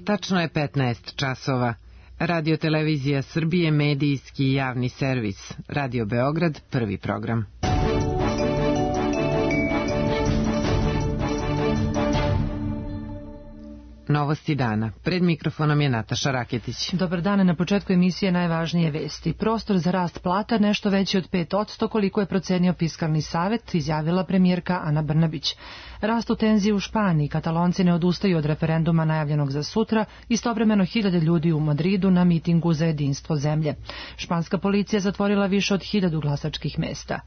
Tačno je 15 časova. Radio Televizija Srbije, medijski i javni servis. Radio Beograd, prvi program. Novosti dana. Pred mikrofonom je Nataša Raketić. Dobar dan, na početku emisije najvažnije vesti. Prostor za rast plata nešto veći od 5%, koliko je procenio Fiskalni savet, izjavila premijerka Ana Brnabić. Rastu tenzije u Španiji, Katalonci ne odustaju od referenduma najavljenog za sutra, istovremeno 1000 ljudi u Madridu na mitingu za jedinstvo zemlje. Španska policija zatvorila više od 1000 glasačkih mesta.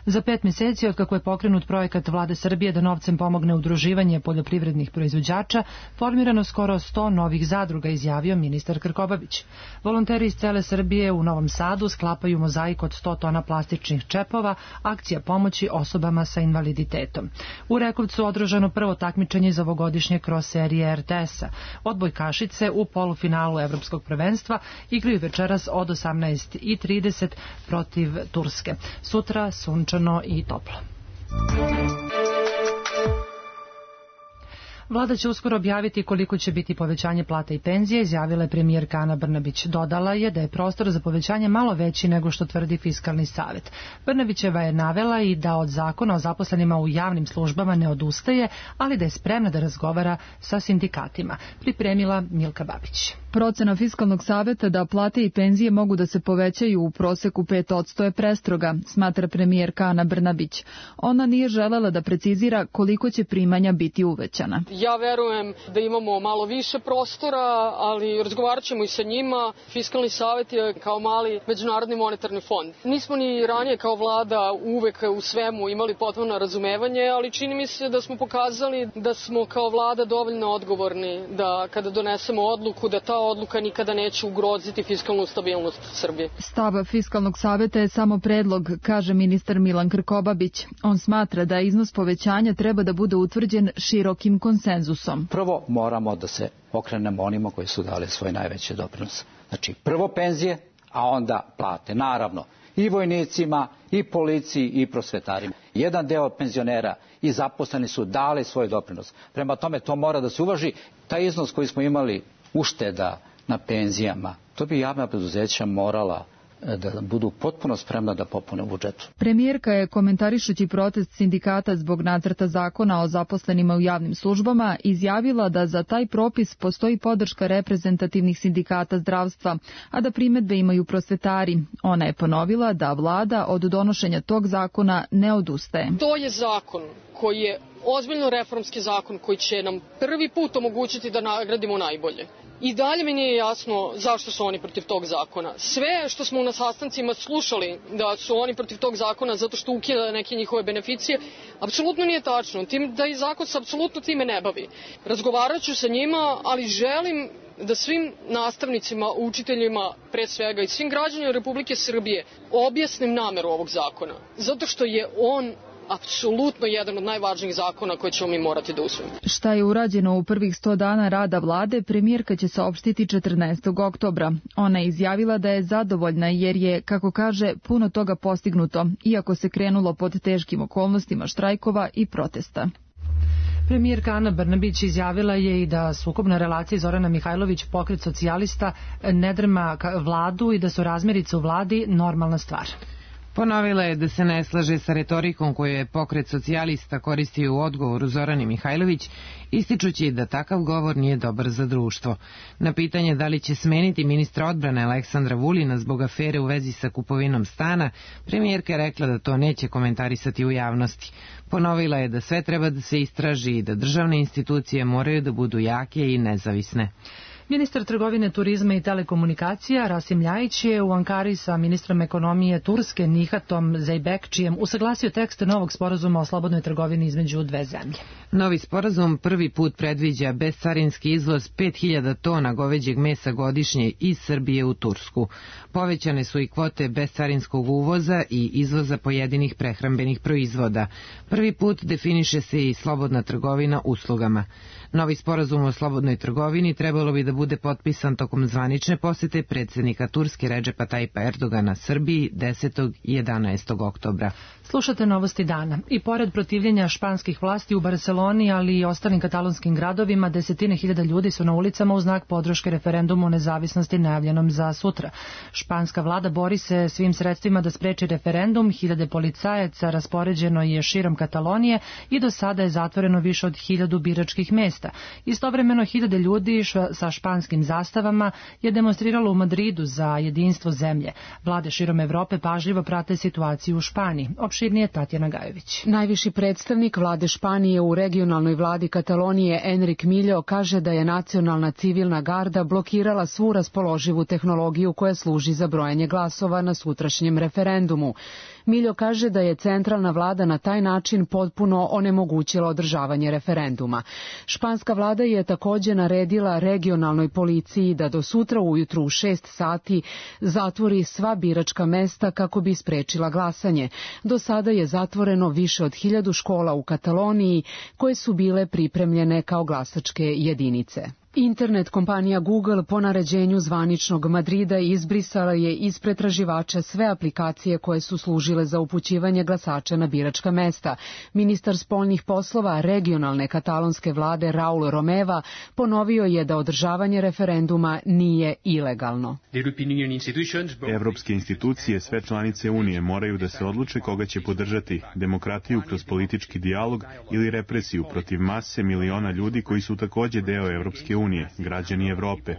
Za 5 mjeseci od kako je pokrenut projekat Vlade Srbije da novcem pomogne udruživanje poljoprivrednih proizvođača, formirano skoro 100 novih zadruga, izjavio ministar Krkobabić. Volonteri iz cele Srbije u Novom Sadu sklapaju mozaik od 100 tona plastičnih čepova, akcija pomoći osobama sa invaliditetom. U Rekovcu održano prvo takmičenje iz ovogodišnje kroz serije RTS-a. Odbojkašice u polufinalu Evropskog prvenstva igraju večeras od 18:30 protiv Turske. Sutra sunčano i toplo. Vlada će uskoro objaviti koliko će biti povećanje plata i penzije, izjavila je premijerka Ana Brnabić. Dodala je da je prostor za povećanje malo veći nego što tvrdi Fiskalni savet. Brnabićeva je navela i da od zakona o zaposlenima u javnim službama ne odustaje, ali da je spremna da razgovara sa sindikatima. Pripremila Milka Babić. Procena Fiskalnog saveta da plate i penzije mogu da se povećaju u proseku 5% je prestroga, smatra premijerka Ana Brnabić. Ona nije želela da precizira koliko će primanja biti uvećana. Ja verujem da imamo malo više prostora, ali razgovarat ćemo i sa njima. Fiskalni savet je kao mali međunarodni monetarni fond. Nismo ni ranije kao vlada uvek u svemu imali potpuno razumevanje, ali čini mi se da smo pokazali da smo kao vlada dovoljno odgovorni da kada donesemo odluku da ta odluka nikada neće ugroziti fiskalnu stabilnost Srbije. Stav Fiskalnog saveta je samo predlog, kaže ministar Milan Krkobabić. On smatra da iznos povećanja treba da bude utvrđen širokim konsenzusom. Prvo moramo da se okrenemo onima koji su dali svoj najveći doprinos. Znači prvo penzije, a onda plate. Naravno i vojnicima, i policiji, i prosvetarima. Jedan deo penzionera i zaposleni su dali svoj doprinos. Prema tome to mora da se uvaži. Taj iznos koji smo imali ušteda na penzijama, to bi javna preduzeća morala da budu potpuno spremna da popune budžetu. Premijerka je, komentarišući protest sindikata zbog nacrta zakona o zaposlenima u javnim službama, izjavila da za taj propis postoji podrška reprezentativnih sindikata zdravstva, a da primedbe imaju prosvetari. Ona je ponovila da vlada od donošenja tog zakona ne odustaje. To je zakon koji je ozbiljno reformski zakon koji će nam prvi put omogućiti da nagradimo najbolje. I dalje mi nije jasno zašto su oni protiv tog zakona. Sve što smo na sastancima slušali da su oni protiv tog zakona zato što ukida neke njihove beneficije, apsolutno nije tačno. Da i zakon se apsolutno time ne bavi. Razgovarat ću sa njima, ali želim da svim nastavnicima, učiteljima, pre svega i svim građanima Republike Srbije objasnim nameru ovog zakona. Zato što je on apsolutno jedan od najvažnijih zakona koje ćemo mi morati da usvojimo. Šta je urađeno u prvih 100 dana rada vlade, premijerka će saopštiti 14. oktobra. Ona je izjavila da je zadovoljna jer je, kako kaže, puno toga postignuto, iako se krenulo pod teškim okolnostima štrajkova i protesta. Premijerka Ana Brnabić izjavila je i da sukobna relacija Zorana Mihajlović, pokret socijalista, ne drma vladu i da su razmirice u vladi normalna stvar. Ponovila je da se ne slaže sa retorikom koju je pokret socijalista koristio u odgovoru Zorani Mihajlović, ističući da takav govor nije dobar za društvo. Na pitanje da li će smeniti ministra odbrane Aleksandra Vulina zbog afere u vezi sa kupovinom stana, premijerka je rekla da to neće komentarisati u javnosti. Ponovila je da sve treba da se istraži i da državne institucije moraju da budu jake i nezavisne. Ministar trgovine, turizma i telekomunikacija Rasim Ljajić je u Ankari sa ministrom ekonomije Turske Nihatom Zeybekčijem usaglasio tekst novog sporazuma o slobodnoj trgovini između dve zemlje. Novi sporazum prvi put predviđa bescarinski izvoz 5000 tona goveđeg mesa godišnje iz Srbije u Tursku. Povećane su i kvote bescarinskog uvoza i izvoza pojedinih prehrambenih proizvoda. Prvi put definiše se i slobodna trgovina uslugama. Novi sporazum o slobodnoj trgovini trebalo bi da bude potpisan tokom zvanične posete predsjednika Turske Redžepa Tajipa Erdogana Srbiji 10. i 11. oktobra. Slušate novosti dana. I pored protivljenja španskih vlasti u Barceloni, ali i ostalim katalonskim gradovima, desetine hiljada ljudi su na ulicama u znak podrške referendumu o nezavisnosti najavljenom za sutra. Španska vlada bori se svim sredstvima da spreči referendum, hiljade policajaca raspoređeno je širom Katalonije i do sada je zatvoreno više od 1000 biračkih mesta. Istovremeno hiljade ljudi sa španskim zastavama je demonstriralo u Madridu za jedinstvo zemlje. Vlade širom Evrope pažljivo prate situaciju u Španiji. Opširnije Tatjana Gajović. Najviši predstavnik vlade Španije u regionalnoj vladi Katalonije Enrique Millo kaže da je nacionalna civilna garda blokirala svu raspoloživu tehnologiju koja služi za brojanje glasova na sutrašnjem referendumu. Millo kaže da je centralna vlada na taj način potpuno onemogućila održavanje referenduma. Španska vlada je također naredila regionalnoj policiji da do sutra ujutru u 6 sati zatvori sva biračka mesta kako bi sprečila glasanje. Do sada je zatvoreno više od 1000 škola u Kataloniji koje su bile pripremljene kao glasačke jedinice. Internet kompanija Google po naređenju zvaničnog Madrida izbrisala je iz pretraživača sve aplikacije koje su služile za upućivanje glasača na biračka mesta. Ministar spoljnih poslova regionalne katalonske vlade Raul Romeva ponovio je da održavanje referenduma nije ilegalno. Evropske institucije, sve članice Unije moraju da se odluče koga će podržati, demokratiju kroz politički dijalog ili represiju protiv mase miliona ljudi koji su također deo Evropske unije, građani Evrope.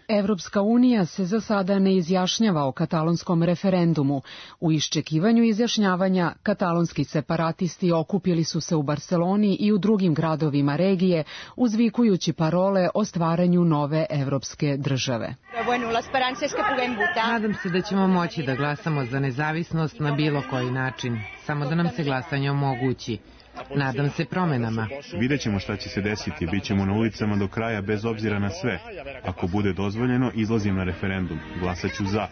Evropska unija se za sada ne izjašnjava o katalonskom referendumu. U iščekivanju izjašnjavanja, katalonski separatisti okupili su se u Barceloni i u drugim gradovima regije, uzvikujući parole o stvaranju nove evropske države. Nadam se da ćemo moći da glasamo za nezavisnost na bilo koji način, samo da nam se glasanje omogući. Nadam se promenama. Vidjet ćemo šta će se desiti, bit ćemo na ulicama do kraja bez obzira na sve. Ako bude dozvoljeno, izlazim na referendum. Glasat ću za.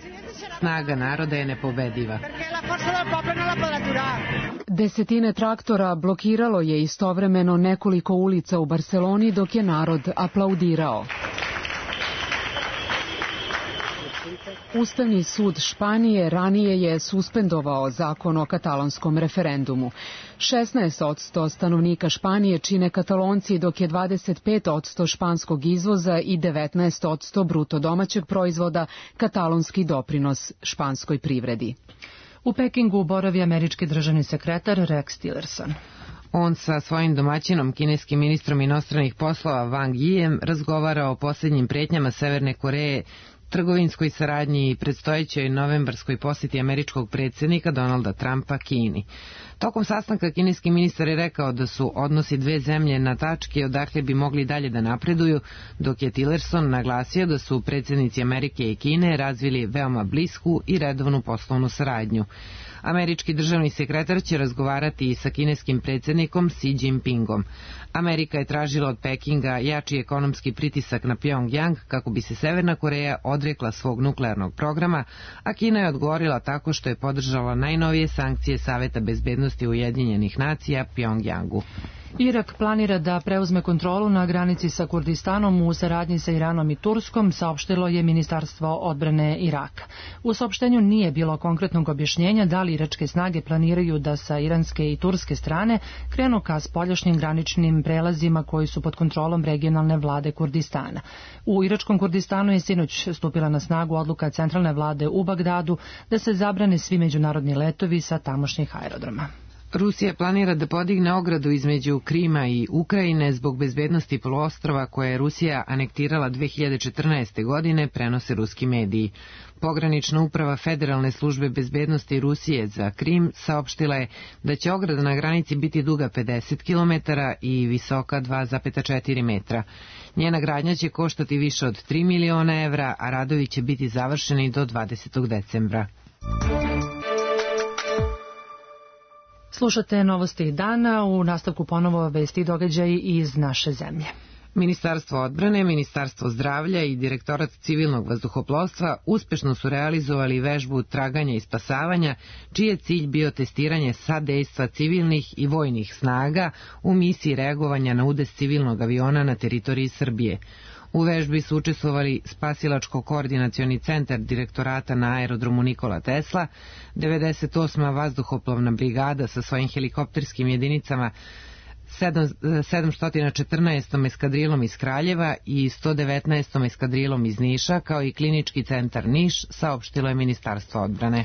Snaga naroda je nepobediva. Desetine traktora blokiralo je istovremeno nekoliko ulica u Barceloni dok je narod aplaudirao. Ustavni sud Španije ranije je suspendovao zakon o katalonskom referendumu. 16% stanovnika Španije čine Katalonci, dok je 25% španskog izvoza i 19% bruto domaćeg proizvoda katalonski doprinos španskoj privredi. U Pekingu boravi američki državni sekretar Rex Tillerson. On sa svojim domaćinom, kineskim ministrom inostranih poslova Wang Yijem, razgovara o posljednjim pretnjama Severne Koreje, trgovinskoj saradnji i predstojećoj novembarskoj posjeti američkog predsjednika Donalda Trumpa Kini. Tokom sastanka kineski ministar je rekao da su odnosi dve zemlje na tački odakle bi mogli dalje da napreduju, dok je Tillerson naglasio da su predsjednici Amerike i Kine razvili veoma blisku i redovnu poslovnu saradnju. Američki državni sekretar će razgovarati i sa kineskim predsjednikom Xi Jinpingom. Amerika je tražila od Pekinga jači ekonomski pritisak na Pyongyang kako bi se Severna Koreja odrekla svog nuklearnog programa, a Kina je odgovorila tako što je podržala najnovije sankcije Saveta bezbednosti Ujedinjenih nacija Pyongyangu. Irak planira da preuzme kontrolu na granici sa Kurdistanom u saradnji sa Iranom i Turskom, saopštilo je Ministarstvo odbrane Iraka. U saopštenju nije bilo konkretnog objašnjenja da li iračke snage planiraju da sa iranske i turske strane krenu ka spoljašnjim graničnim prelazima koji su pod kontrolom regionalne vlade Kurdistana. U iračkom Kurdistanu je sinoć stupila na snagu odluka centralne vlade u Bagdadu da se zabrane svi međunarodni letovi sa tamošnjih aerodroma. Rusija planira da podigne ogradu između Krima i Ukrajine zbog bezbednosti poluostrva koje je Rusija anektirala 2014. godine, prenose ruski mediji. Pogranična uprava Federalne službe bezbednosti Rusije za Krim saopštila je da će ograda na granici biti duga 50 km i visoka 2,4 metra. Njena gradnja će koštati više od 3 miliona evra, a radovi će biti završeni do 20. decembra. Slušate novosti dana, u nastavku ponovo vesti i događaji iz naše zemlje. Ministarstvo odbrane, Ministarstvo zdravlja i Direktorat civilnog vazduhoplovstva uspešno su realizovali vežbu traganja i spasavanja, čiji je cilj bio testiranje sadejstva civilnih i vojnih snaga u misiji reagovanja na udes civilnog aviona na teritoriji Srbije. U vežbi su učestvovali Spasilačko-koordinacioni centar direktorata na aerodromu Nikola Tesla, 98. vazduhoplovna brigada sa svojim helikopterskim jedinicama, 714. eskadrilom iz Kraljeva i 119. eskadrilom iz Niša, kao i Klinički centar Niš, saopštilo je Ministarstvo odbrane.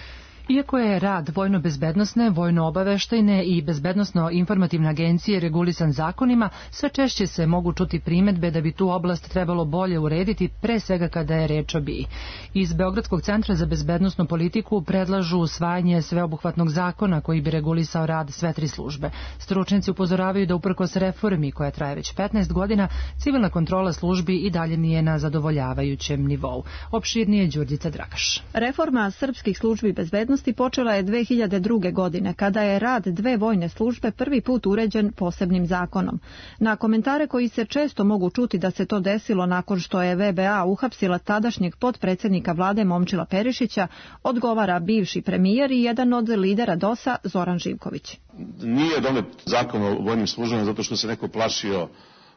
Iako je rad vojno-bezbednosne, vojno-obaveštajne i bezbednosno-informativne agencije regulisan zakonima, sve češće se mogu čuti primedbe da bi tu oblast trebalo bolje urediti, pre svega kada je reč o BIA. Iz Beogradskog centra za bezbednosnu politiku predlažu usvajanje sveobuhvatnog zakona koji bi regulisao rad sve tri službe. Stručnjaci upozoravaju da uprkos reformi koja traje već 15 godina, civilna kontrola službi i dalje nije na zadovoljavajućem nivou. Opširnije Đurđica Dragaš. Reforma srpskih službi bezbednosti počela je 2002. godine, kada je rad dve vojne službe prvi put uređen posebnim zakonom. Na komentare koji se često mogu čuti da se to desilo nakon što je VBA uhapsila tadašnjeg potpredsjednika vlade Momčila Perišića, odgovara bivši premijer i jedan od lidera DOS-a Zoran Živković. Nije donet zakon o vojnim službama zato što se neko plašio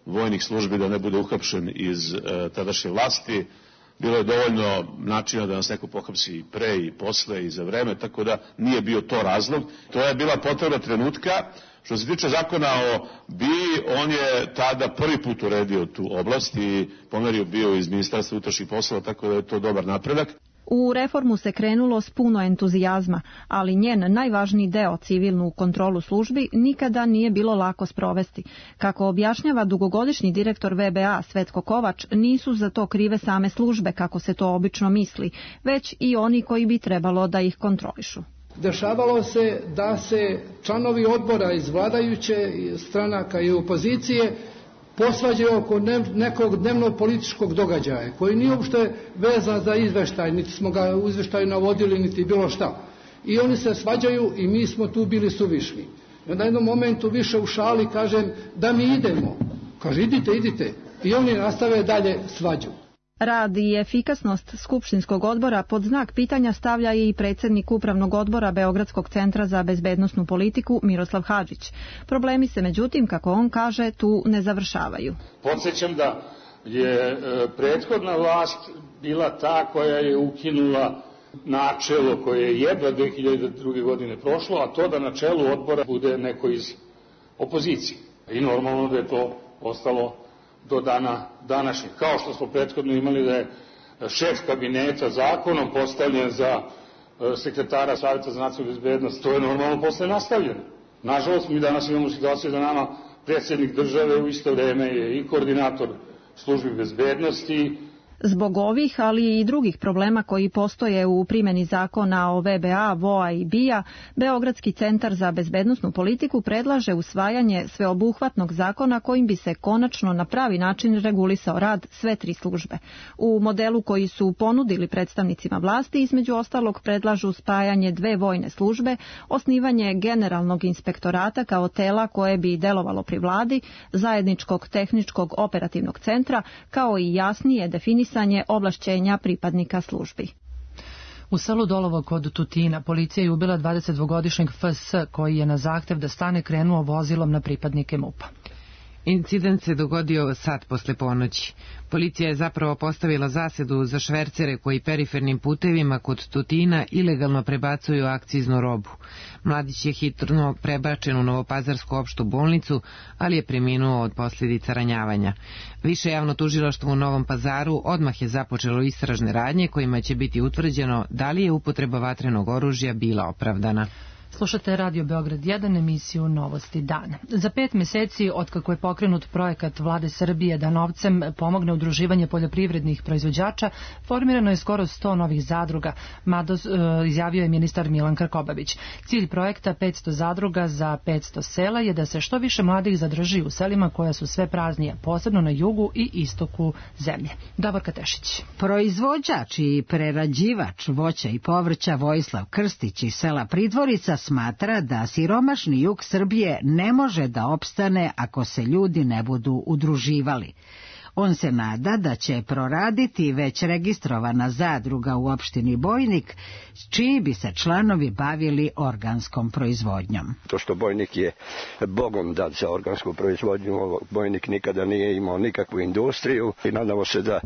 vojnih službi da ne bude uhapšen iz tadašnje vlasti. Bilo je dovoljno načina da nas neko pohapsi i pre i posle i za vreme, tako da nije bio to razlog. To je bila potreba trenutka. Što se tiče zakona o BIA, on je tada prvi put uredio tu oblast i pomerio bio iz Ministarstva unutrašnjih poslova, tako da je to dobar napredak. U reformu se krenulo s puno entuzijazma, ali njen najvažniji deo, civilnu kontrolu službi, nikada nije bilo lako sprovesti. Kako objašnjava dugogodišnji direktor VBA Svetko Kovač, nisu za to krive same službe, kako se to obično misli, već i oni koji bi trebalo da ih kontrolišu. Dešavalo se da se članovi odbora iz vladajuće stranaka i opozicije posvađaju oko nekog dnevnog političkog događaja, koji nije uopšte vezan za izveštaj, niti smo ga u izveštaju navodili, niti bilo šta. I oni se svađaju i mi smo tu bili suvišni. I onda jednom momentu više u šali kažem da mi idemo. Kaže idite. I oni nastave dalje svađu. Rad i efikasnost Skupštinskog odbora pod znak pitanja stavlja i predsjednik Upravnog odbora Beogradskog centra za bezbednosnu politiku Miroslav Hadžić. Problemi se, međutim, kako on kaže, tu ne završavaju. Podsjećam da je prethodna vlast bila ta koja je ukinula načelo koje je jedva 2002. godine prošlo, a to da na čelu odbora bude neko iz opozicije. I normalno da je to ostalo do dana današnjeg. Kao što smo prethodno imali da je šef kabineta zakonom postavljen za sekretara Savjeta za nacionalnu bezbednost, to je normalno posle nastavljeno. Nažalost, mi danas imamo situaciju da nama predsjednik države u isto vreme je i koordinator službi bezbednosti. Zbog ovih, ali i drugih problema koji postoje u primjeni zakona o VBA, VOA i BIA, Beogradski centar za bezbednosnu politiku predlaže usvajanje sveobuhvatnog zakona kojim bi se konačno na pravi način regulisao rad sve tri službe. U modelu koji su ponudili predstavnicima vlasti, između ostalog predlažu spajanje dve vojne službe, osnivanje generalnog inspektorata kao tela koje bi delovalo pri vladi, zajedničkog tehničkog operativnog centra, kao i jasnije definisanje ovlašćenja pripadnika službi. U selu Dolovo kod Tutina policija je ubila 22-godišnjeg FS koji je na zahtev da stane krenuo vozilom na pripadnike MUP-a. Incident se dogodio sat posle ponoći. Policija je zapravo postavila zasedu za švercere koji perifernim putevima kod Tutina ilegalno prebacuju akciznu robu. Mladić je hitno prebačen u Novopazarsku opštu bolnicu, ali je preminuo od posljedica ranjavanja. Više javno tužilaštvo u Novom Pazaru odmah je započelo istražne radnje kojima će biti utvrđeno da li je upotreba vatrenog oružja bila opravdana. Slušate Radio Beograd 1, emisiju Novosti dana. Za 5 meseci otkako je pokrenut projekat Vlade Srbije da novcem pomogne udruživanje poljoprivrednih proizvođača, formirano je skoro 100 novih zadruga, izjavio je ministar Milan Krkobabić. Cilj projekta 500 zadruga za 500 sela je da se što više mladih zadrži u selima koja su sve praznije, posebno na jugu i istoku zemlje. Davorka Tešić. Proizvođač i prerađivač voća i povrća Vojislav Krstić iz sela Pridvorica smatra da siromašni jug Srbije ne može da opstane ako se ljudi ne budu udruživali. On se nada da će proraditi već registrovana zadruga u opštini Bojnik, čiji bi se članovi bavili organskom proizvodnjom. To što Bojnik je bogom dat za organsku proizvodnju, Bojnik nikada nije imao nikakvu industriju i nadamo se da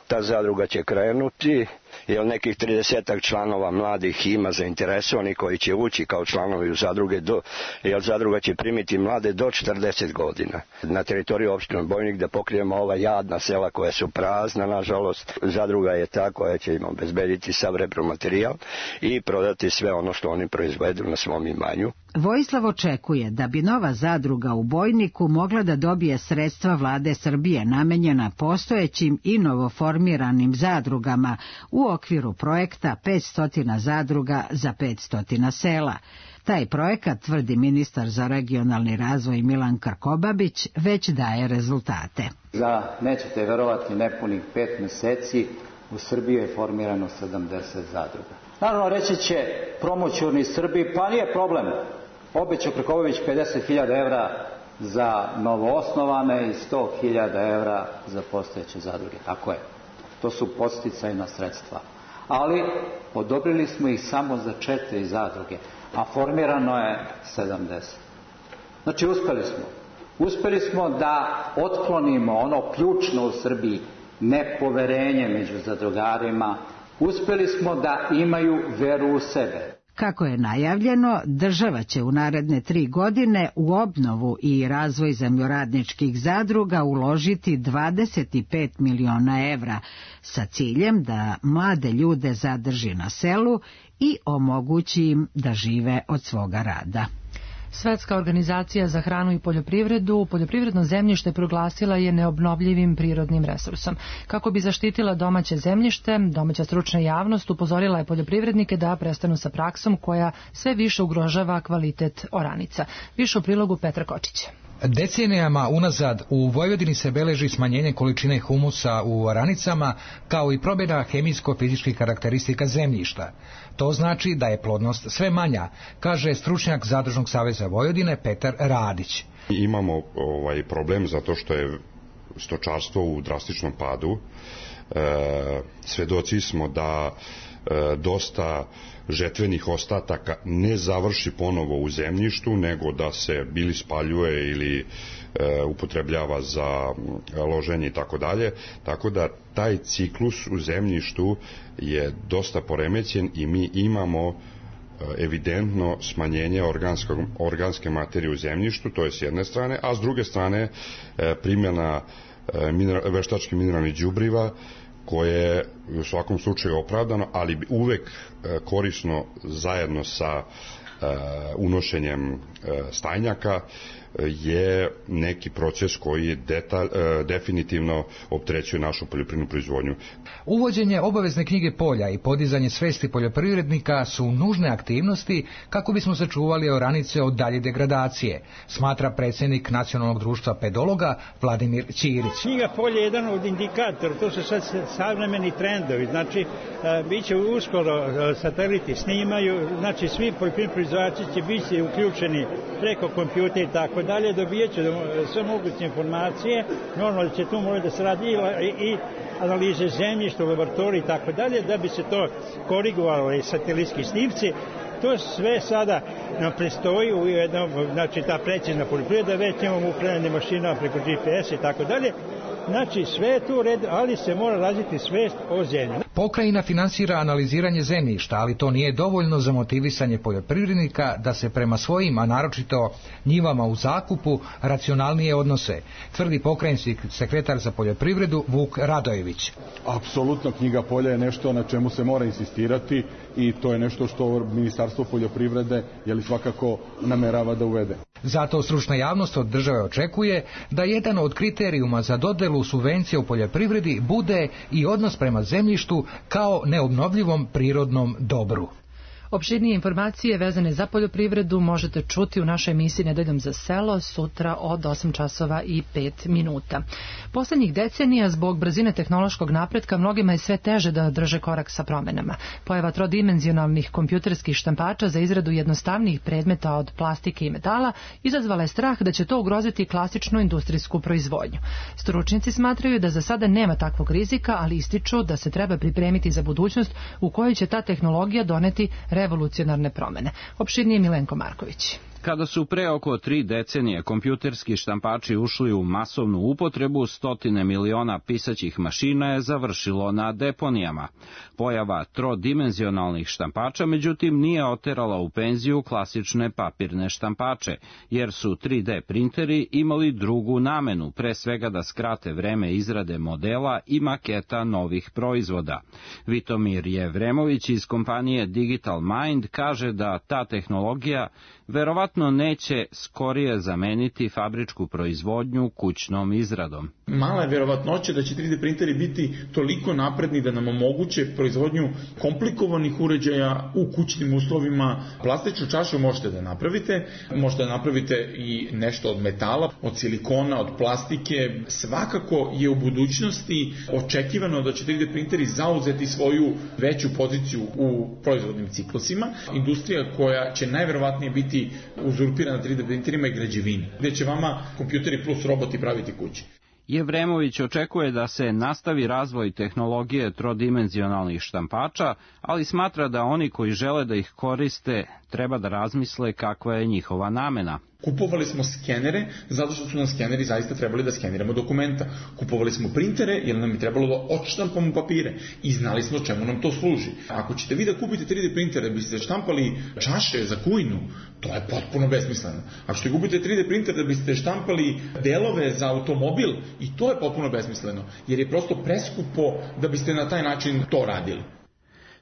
ta zadruga će krenuti, jer nekih 30 članova mladih ima zainteresovani koji će ući kao članovi u zadruge, jer zadruga će primiti mlade do 40 godina. Na teritoriju opštine Bojnik da pokrijemo ova jadna sela koja su prazna, nažalost, zadruga je ta koja će im obezbediti sav repromaterijal i prodati sve ono što oni proizvedu na svom imanju. Vojislav očekuje da bi nova zadruga u Bojniku mogla da dobije sredstva vlade Srbije namenjena postojećim i novoformiranim zadrugama u okviru projekta 500 zadruga za 500 sela. Taj projekat, tvrdi ministar za regionalni razvoj Milan Krkobabić, već daje rezultate. Za, nećete verovati, nepunih 5 meseci u Srbiji je formirano 70 zadruga. Naravno, reći će promoćurni Srbiji, pa nije problem. Obećao Krkobabić 50.000 evra za novoosnovane i 100.000 evra za postojeće zadruge. Tako je. To su podsticajna sredstva. Ali odobrili smo ih samo za 4 zadruge, a formirano je 70. Znači, uspeli smo da otklonimo ono ključno u Srbiji, nepoverenje među zadrugarima. Uspeli smo da imaju veru u sebe. Kako je najavljeno, država će u naredne 3 godine u obnovu i razvoj zemljoradničkih zadruga uložiti 25 miliona evra sa ciljem da mlade ljude zadrži na selu i omogući im da žive od svoga rada. Svetska organizacija za hranu i poljoprivredu poljoprivredno zemljište proglasila je neobnovljivim prirodnim resursom. Kako bi zaštitila domaće zemljište, domaća stručna javnost upozorila je poljoprivrednike da prestanu sa praksom koja sve više ugrožava kvalitet oranica. Više u prilogu Petra Kočića. Decenijama unazad u Vojvodini se beleži smanjenje količine humusa u oranicama, kao i promjena hemijsko-fizičkih karakteristika zemljišta. To znači da je plodnost sve manja, kaže stručnjak Zadružnog saveza Vojvodine Petar Radić. Imamo problem zato što je stočarstvo u drastičnom padu. Svedoci smo da dosta žetvenih ostataka ne završi ponovo u zemljištu, nego da se bili spaljuje ili upotrebljava za loženje i tako dalje. Tako da taj ciklus u zemljištu je dosta poremećen i mi imamo evidentno smanjenje organske materije u zemljištu, to je s jedne strane, a s druge strane primjena veštačkih mineralnih đubriva, koje je u svakom slučaju opravdano, ali uvek korisno zajedno sa unošenjem stajnjaka je neki proces koji definitivno opterećuje našu poljoprivrednu proizvodnju. Uvođenje obavezne knjige polja i podizanje svesti poljoprivrednika su nužne aktivnosti kako bismo sačuvali oranice od dalje degradacije, smatra predsjednik Nacionalnog društva pedologa Vladimir Ćirić. Knjiga polja je jedan od indikatora, to su sad savremeni trendovi, znači bit će uskoro sateliti snimaju, znači svi poljoprivredni proizvođači će biti uključeni preko kompjutera i tako dalje, dobijat će sve moguće informacije, normalno da će tu morati da se radi i analize zemljišta u laboratoriji i tako dalje, da bi se to korigovalo i satelitski snimci. To sve sada nam predstoji u jednom, znači ta precizna poljoprivreda, već imamo upravljanje mašinama preko GPS i tako dalje. Znači sve je tu u redu, ali se mora razviti svest o zemlji. Pokrajina finansira analiziranje zemljišta, ali to nije dovoljno za motivisanje poljoprivrednika da se prema svojim, a naročito njivama u zakupu, racionalnije odnose, tvrdi pokrajinski sekretar za poljoprivredu Vuk Radojević. Apsolutno knjiga polja je nešto na čemu se mora insistirati i to je nešto što Ministarstvo poljoprivrede svakako namerava da uvede. Zato stručna javnost od države očekuje da jedan od kriterijuma za dodelu subvencija u poljoprivredi bude i odnos prema zemljištu kao neobnovljivom prirodnom dobru. Opširnije informacije vezane za poljoprivredu možete čuti u našoj emisiji Nedeljom za selo sutra od 8 časova i 5 minuta. Poslednjih decenija zbog brzine tehnološkog napretka mnogima je sve teže da drže korak sa promenama. Pojava trodimenzionalnih kompjuterskih štampača za izradu jednostavnijih predmeta od plastike i metala izazvala je strah da će to ugroziti klasičnu industrijsku proizvodnju. Stručnjaci smatraju da za sada nema takvog rizika, ali ističu da se treba pripremiti za budućnost u kojoj će ta tehnologija doneti revolucionarne promene. Opširnije Milenko Marković. Kada su pre oko 3 decenije kompjuterski štampači ušli u masovnu upotrebu, stotine miliona pisaćih mašina je završilo na deponijama. Pojava trodimenzionalnih štampača, međutim, nije oterala u penziju klasične papirne štampače, jer su 3D printeri imali drugu namenu, pre svega da skrate vreme izrade modela i maketa novih proizvoda. Vitomir Jevremović iz kompanije Digital Mind kaže da ta tehnologija verovatno neće skorije zameniti fabričku proizvodnju kućnom izradom. Mala je verovatnoća da će 3D printeri biti toliko napredni da nam omoguće proizvodnju komplikovanih uređaja u kućnim uslovima. Plastičnu čašu možete da napravite i nešto od metala, od silikona, od plastike. Svakako je u budućnosti očekivano da će 3D printeri zauzeti svoju veću poziciju u proizvodnim ciklusima. Industrija koja će najverovatnije biti uzurpirana 3D printerima i građevini, gde će vama kompjuteri plus roboti praviti kuće. Jevremović očekuje da se nastavi razvoj tehnologije trodimenzionalnih štampača, ali smatra da oni koji žele da ih koriste treba da razmisle kakva je njihova namena. Kupovali smo skenere zato što su nam skeneri zaista trebali da skeniramo dokumenta. Kupovali smo printere jer nam je trebalo da odštampamo papire i znali smo čemu nam to služi. Ako ćete vi da kupite 3D printer da biste štampali čaše za kujnu, to je potpuno besmisleno. Ako ćete kupite 3D printer da biste štampali delove za automobil, i to je potpuno besmisleno, jer je prosto preskupo da biste na taj način to radili.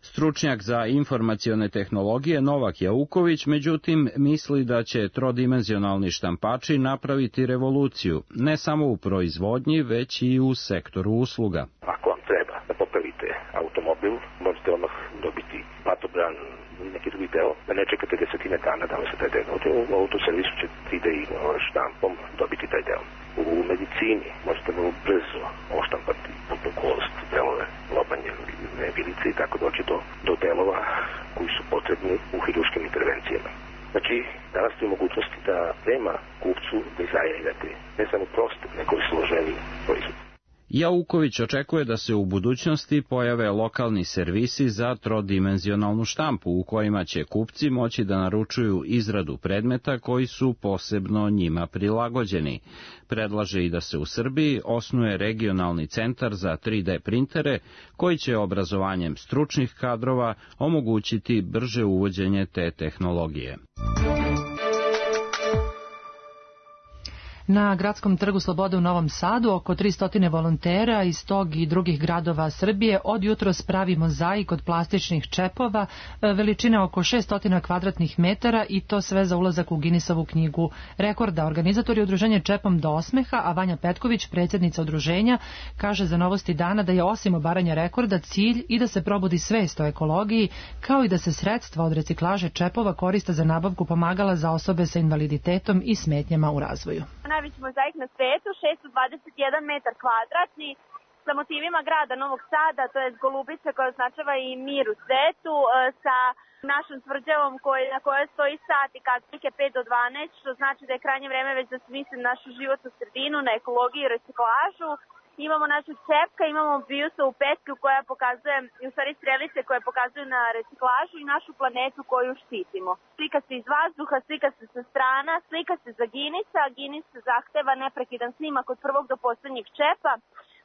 Stručnjak za informacione tehnologije Novak Jauković, međutim, misli da će trodimenzionalni štampači napraviti revoluciju, ne samo u proizvodnji, već i u sektoru usluga. Ako vam treba da popravite automobil, možete odmah dobiti patobran, neki drugi deo, da ne čekate desetine dana da vam se taj deo. U autoservisu će 3D štampom dobiti taj deo. U medicini možete vrlo brzo oštampati putnu kost, delove, lobanje, vilice i tako doći do delova koji su potrebni u hiruškim intervencijama. Znači, danas tu je mogućnosti da nema kupcu dizajnirati ne samo proste, nego i složeni proizvod. Jauković očekuje da se u budućnosti pojave lokalni servisi za trodimenzionalnu štampu u kojima će kupci moći da naručuju izradu predmeta koji su posebno njima prilagođeni. Predlaže i da se u Srbiji osnuje regionalni centar za 3D printere koji će obrazovanjem stručnih kadrova omogućiti brže uvođenje te tehnologije. Na Gradskom trgu Slobode u Novom Sadu oko 300 volontera iz tog i drugih gradova Srbije od jutros pravi mozaik od plastičnih čepova veličine oko 600 kvadratnih metara i to sve za ulazak u Guinnessovu knjigu rekorda. Organizator je udruženje Čepom do osmeha, a Vanja Petković, predsjednica udruženja, kaže za Novosti dana da je osim obaranja rekorda cilj i da se probudi svest o ekologiji, kao i da se sredstva od reciklaže čepova koriste za nabavku pomagala za osobe sa invaliditetom i smetnjama u razvoju. Najveći mozaik na svetu, 621 metar kvadratni, sa motivima grada Novog Sada, to je golubica koja označava i mir u svetu, sa našom tvrđavom na kojoj stoji sat i katlike 5 do 12, što znači da je krajnje vreme već da se misli na našu životnu sredinu, na ekologiju i reciklažu. Imamo našu čepka, imamo Biusovu petku koja pokazuje, u stvari strelice koje pokazuju na reciklažu i našu planetu koju štitimo. Slika se iz vazduha, slika se sa strana, slika se za Guinnessa, Guinness zahteva neprekidan snimak od prvog do poslednjeg čepa,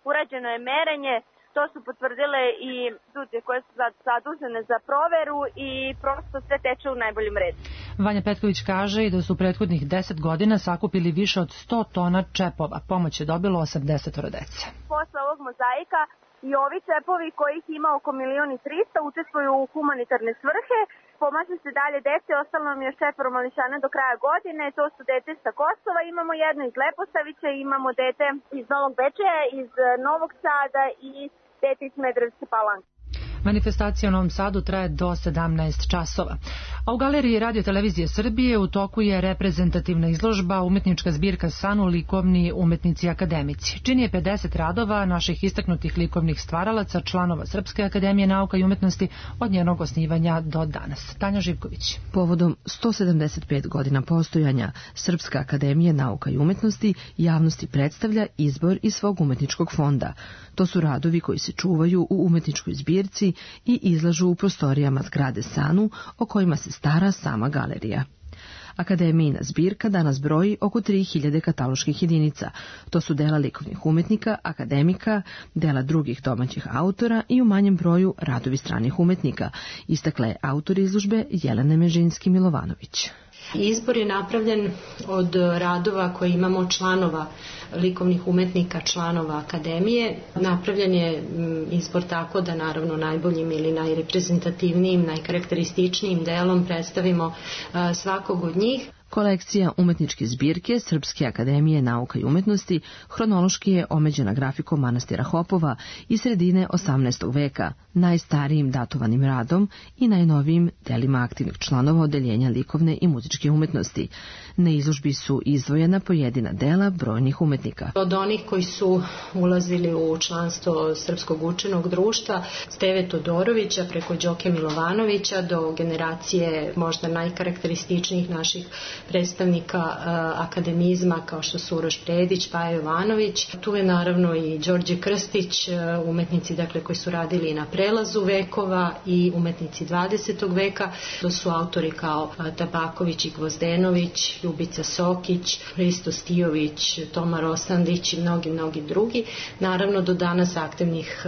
urađeno je merenje, to su potvrdile i studije koje su zadužene za proveru i prosto sve teče u najboljem redu. Vanja Petković kaže i da su prethodnih 10 godina sakupili više od 100 tona čepova. Pomoć je dobilo 80 dece. Posle ovog mozaika i ovi čepovi kojih ima oko 1.300.000 učestvuju u humanitarne svrhe. Pomaže se dalje dece, ostalo nam još 4 mališana do kraja godine, to su dete sa Kosova, imamo jedno iz Leposavića, imamo dete iz Novog Bečeja, iz Novog Sada i dete iz Smederevske Palanke. Manifestacija u Novom Sadu traje do 17 časova. A u Galeriji Radio-televizije Srbije u toku je reprezentativna izložba umetnička zbirka Sanu likovni umetnici akademici. Čini je 50 radova naših istaknutih likovnih stvaralaca, članova Srpske akademije nauka i umetnosti od njenog osnivanja do danas. Tanja Živković. Povodom 175 godina postojanja, Srpska akademija nauka i umetnosti javnosti predstavlja izbor iz svog umetničkog fonda. To su radovi koji se čuvaju u umetničkoj zbirci i izlažu u prostorijama zgrade Sanu, o kojima se stara sama galerija. Akademijina zbirka danas broji oko 3000 kataloških jedinica. To su dela likovnih umetnika, akademika, dela drugih domaćih autora i u manjem broju radovi stranih umetnika, istakla je autor izložbe Jelena Mežinski-Milovanović. Izbor je napravljen od radova koje imamo članova likovnih umetnika, članova akademije. Napravljen je izbor tako da naravno najboljim ili najreprezentativnijim, najkarakterističnijim delom predstavimo svakog od njih. Kolekcija umetničke zbirke Srpske akademije nauka i umetnosti hronološki je omeđena grafikom manastira Hopova iz sredine 18. veka, najstarijim datovanim radom i najnovijim delima aktivnih članova odeljenja likovne i muzičke umetnosti. Na izložbi su izdvojena pojedina dela brojnih umetnika. Od onih koji su ulazili u članstvo Srpskog učenog društva, Steve Todorovića preko Đoke Milovanovića do generacije možda najkarakterističnijih naših predstavnika akademizma kao što su Uroš Predić, Paja Jovanović. Tu je naravno i Đorđe Krstić, umetnici koji su radili i na prelazu vekova i umetnici 20. veka. To su autori kao Tabaković i Gvozdenović, Ljubica Sokić, Hristo Stijović, Toma Rosandić i mnogi drugi. Naravno do danas aktivnih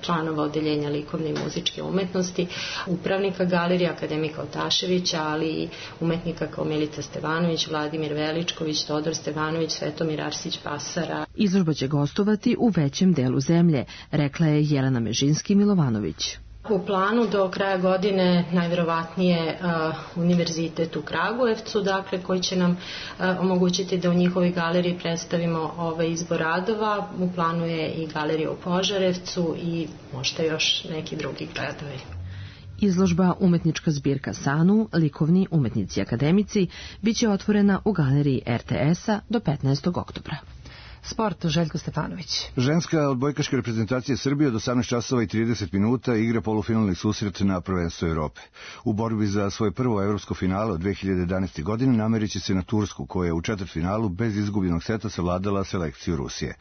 članova odeljenja likovne i muzičke umetnosti, upravnika galerije akademika Otaševića, ali i umetnika kao Milica Stevanović, Vladimir Veličković, Todor Stevanović, Svetomir Arsić Pasara. Izložba će gostovati u većem delu zemlje, rekla je Jelena Mežinski-Milovanović. U planu do kraja godine najverovatnije univerzitet u Kragujevcu, koji će nam omogućiti da u njihovoj galeriji predstavimo ovaj izbor radova. U planu je i galerija u Požarevcu i možda još neki drugi gradovi. Izložba umetnička zbirka Sanu, likovni umetnici akademici, biće otvorena u galeriji RTS-a do 15. oktobra. Sport, Željko Stefanović. Ženska odbojkaška reprezentacija Srbije od 18 časova i 30 minuta igra polufinalni susret na prvenstvu Evrope. U borbi za svoje prvo evropsko finale od 2011. godine nameriće se na Tursku, koja je u četvrtfinalu bez izgubljenog seta savladala selekciju Rusije.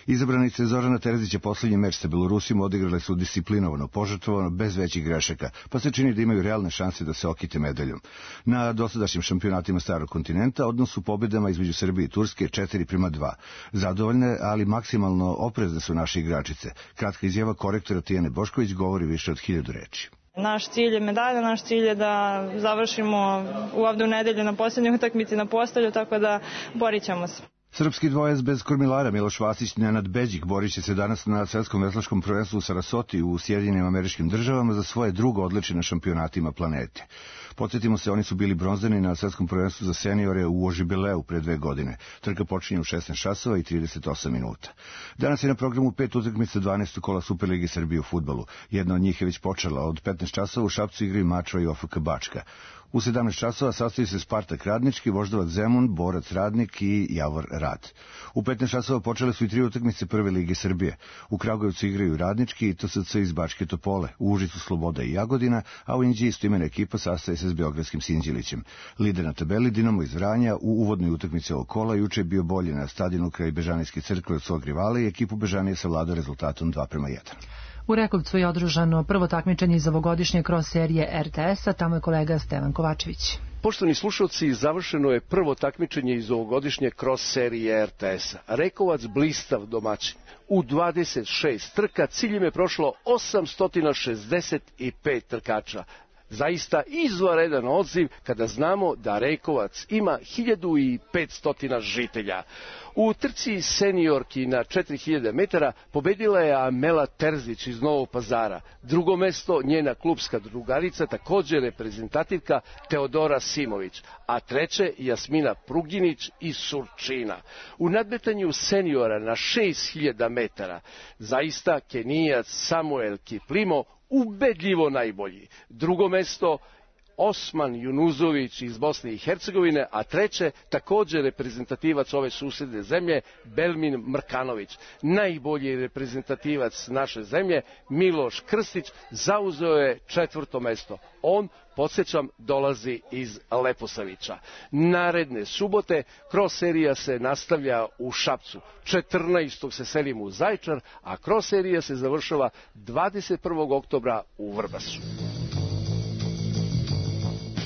Izabranice Zorana Terzića poslednji meč sa Belorusijom odigrale su disciplinovano, požrtvovano, bez većih grešaka, pa se čini da imaju realne šanse da se okite medaljom. Na dosadašnjim šampionatima Starog kontinenta odnos u pobedama između Srbije i Turske 4:2. Zadovoljne, ali maksimalno oprezne su naše igračice. Kratka izjava korektora Tijane Bošković govori više od 1000 reči. Naš cilj je medalja, naš cilj je da završimo ovde u nedelju na posljednjoj utakmici na Postolju, tako da borit ćemo se. Srpski dvojac bez kormilara Miloš Vasić i Nenad Beđik borit će se danas na svetskom veslačkom prvenstvu u Sarasoti u Sjedinjenim Američkim Državama za svoje drugo odličje na šampionatima planete. Podsjetimo se, oni su bili bronzani na svetskom prvenstvu za seniore u Ožibileu pre 2 godine. Trka počinje u 16 časova i 38 minuta. Danas je na programu 5 utakmica 12. kola Superligi Srbije u fudbalu. Jedna od njih je već počela. Od 15 časova u Šapcu igraju Mačva i OFK Bačka. U 17 časova sastoji se Spartak Radnički, Voždovac Zemun, Borac Radnik i Javor Rad. U 15 časova počele su i 3 utakmice Prve lige Srbije. U Kragujevcu igraju Radnički i TSC iz Bačke Topole, u Užicu Sloboda i Jagodina, a u Inđiji istoimena ekipa sastaje se s Beogradskim Sinđelićem. Lider na tabeli Dinamo iz Vranja u uvodnoj utakmici ovog kola juče je bio bolji na stadionu kraj Bežanijske crkve od svog rivala i ekipu Bežanije savladao rezultatom 2:1. U Rekovcu je održano prvo takmičenje iz ovogodišnje kroz serije RTS-a, tamo je kolega Stevan Kovačević. Poštovani slušalci, završeno je prvo takmičenje iz ovogodišnje kroz serije RTS-a. Rekovac blistav domaćin. U 26 trka ciljem je prošlo 865 trkača. Zaista izvanredan odziv kada znamo da Rekovac ima 1500 žitelja. U trci seniorki na 4000 metara pobedila je Amela Terzić iz Novog Pazara. Drugo mesto njena klubska drugarica, također reprezentativka Teodora Simović, a treće Jasmina Pruginić iz Surčina. U nadmetanju seniora na 6000 metara zaista Kenijac Samuel Kiplimo ubedljivo najbolji. Drugo mesto Osman Junuzović iz Bosne i Hercegovine, a treće također reprezentativac ove susedne zemlje Belmin Mrkanović. Najbolji reprezentativac naše zemlje Miloš Krstić zauzeo je 4. mesto. On, podsjećam, dolazi iz Leposavića. Naredne subote cross serija se nastavlja u Šapcu. 14. se selimo u Zaječar, a cross serija se završava 21. oktobra u Vrbasu.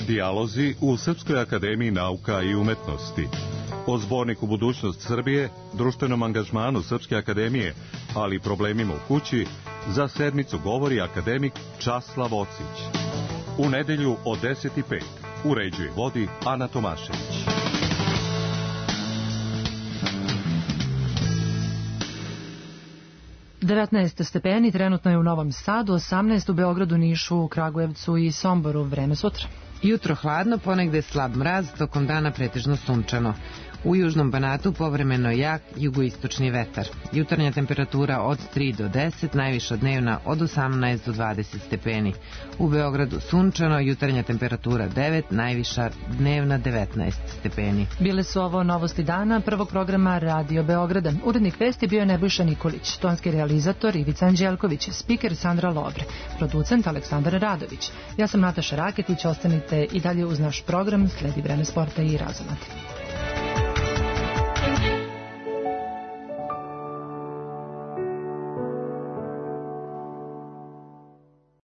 Dijalozi u Srpskoj akademiji nauka i umetnosti. O zborniku Budućnost Srbije, društvenom angažmanu Srpske akademije, ali i problemima u kući, za sedmicu govori akademik Časlav Ocić. U nedelju od 10:05 uređuje vodi Ana Tomašević. -19 stepeni, trenutno je u Novom Sadu, 18 u Beogradu, Nišu, Kragujevcu i Somboru. Vreme sutra. Jutro hladno, ponegde slab mraz, tokom dana pretežno sunčano. U južnom Banatu povremeno jak jugoistočni vetar. Jutarnja temperatura od 3 do 10, najviša dnevna od 18 do 20 stepeni. U Beogradu sunčano, jutarnja temperatura 9, najviša dnevna 19 stepeni. Bile su ovo novosti dana prvog programa Radio Beograda. Urednik vesti bio je Nebojša Nikolić, tonski realizator Ivica Anđelković, spiker Sandra Lovre, producent Aleksandar Radović. Ja sam Nataša Raketić, ostanite i dalje uz naš program, sledi Vreme sporta i razumati.